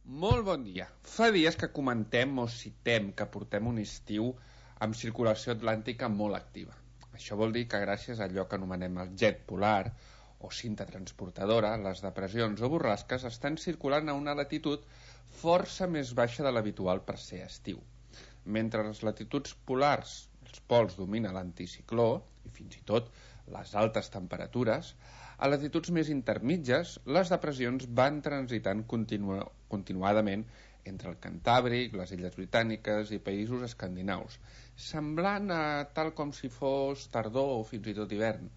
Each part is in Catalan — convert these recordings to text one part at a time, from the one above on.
Molt bon dia. Fa dies que comentem o citem que portem un estiu amb circulació atlàntica molt activa. Això vol dir que gràcies a allò que anomenem el jet polar o cinta transportadora, les depressions o borrasques estan circulant a una latitud força més baixa de l'habitual per ser estiu. Mentre les latituds polars, els pols domina l'anticicló i fins i tot les altes temperatures, a latituds més intermitges, les depressions van transitant continuadament entre el Cantàbric, les Illes Britàniques i països escandinaus, semblant a tal com si fos tardor o fins i tot hivern.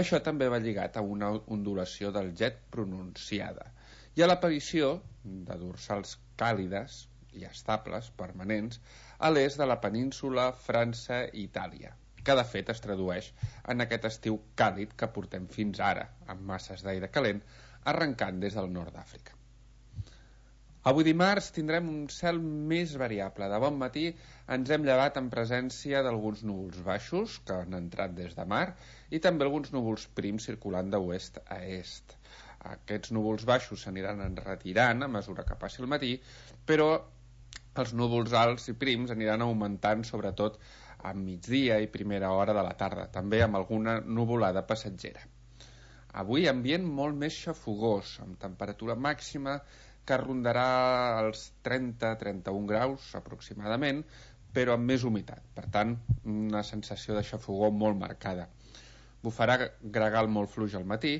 Això també va lligat a una ondulació del jet pronunciada i a l'aparició de dorsals càlides i estables permanents a l'est de la península, França i Itàlia, que de fet es tradueix en aquest estiu càlid que portem fins ara, amb masses d'aire calent arrencant des del nord d'Àfrica. Avui dimarts tindrem un cel més variable. De bon matí ens hem llevat en presència d'alguns núvols baixos que han entrat des de mar i també alguns núvols prims circulant d'oest a est. Aquests núvols baixos s'aniran enretirant a mesura que passi el matí, però els núvols alts i prims aniran augmentant sobretot a migdia i primera hora de la tarda, també amb alguna nuvolada passatgera. Avui ambient molt més xafogós, amb temperatura màxima que rondarà els 30-31 graus aproximadament, però amb més humitat, per tant una sensació de xafogor molt marcada. Bufarà gregal molt fluix al matí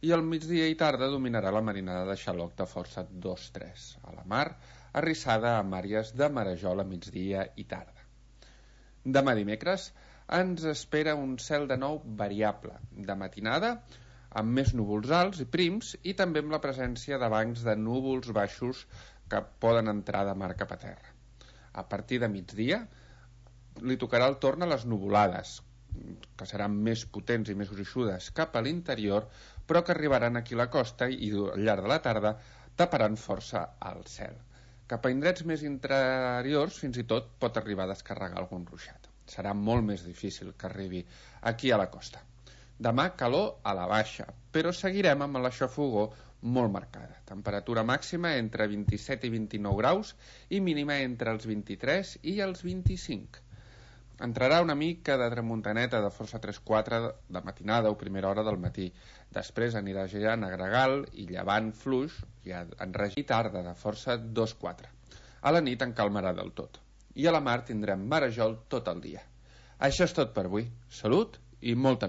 i al migdia i tarda dominarà la marinada de xaloc de força 2-3. A la mar, arrissada amb àrees de marejol a migdia i tarda. Demà dimecres ens espera un cel de nou variable, de matinada amb més núvols alts i prims i també amb la presència de bancs de núvols baixos que poden entrar de mar cap a terra. A partir de migdia li tocarà el torn a les nuvolades, que seran més potents i més gruixudes cap a l'interior, però que arribaran aquí a la costa i al llarg de la tarda taparan força al cel. Cap a indrets més interiors fins i tot pot arribar a descarregar algun ruixat. Serà molt més difícil que arribi aquí a la costa. Demà calor a la baixa, però seguirem amb la xafogor molt marcada. Temperatura màxima entre 27 i 29 graus i mínima entre els 23 i els 25. Entrarà una mica de tramuntaneta de força 3-4 de matinada o primera hora del matí. Després anirà girant a gregal i llevant fluix i enregir tarda de força 2-4. A la nit en calmarà del tot. I a la mar tindrem marejol tot el dia. Això és tot per avui. Salut i molta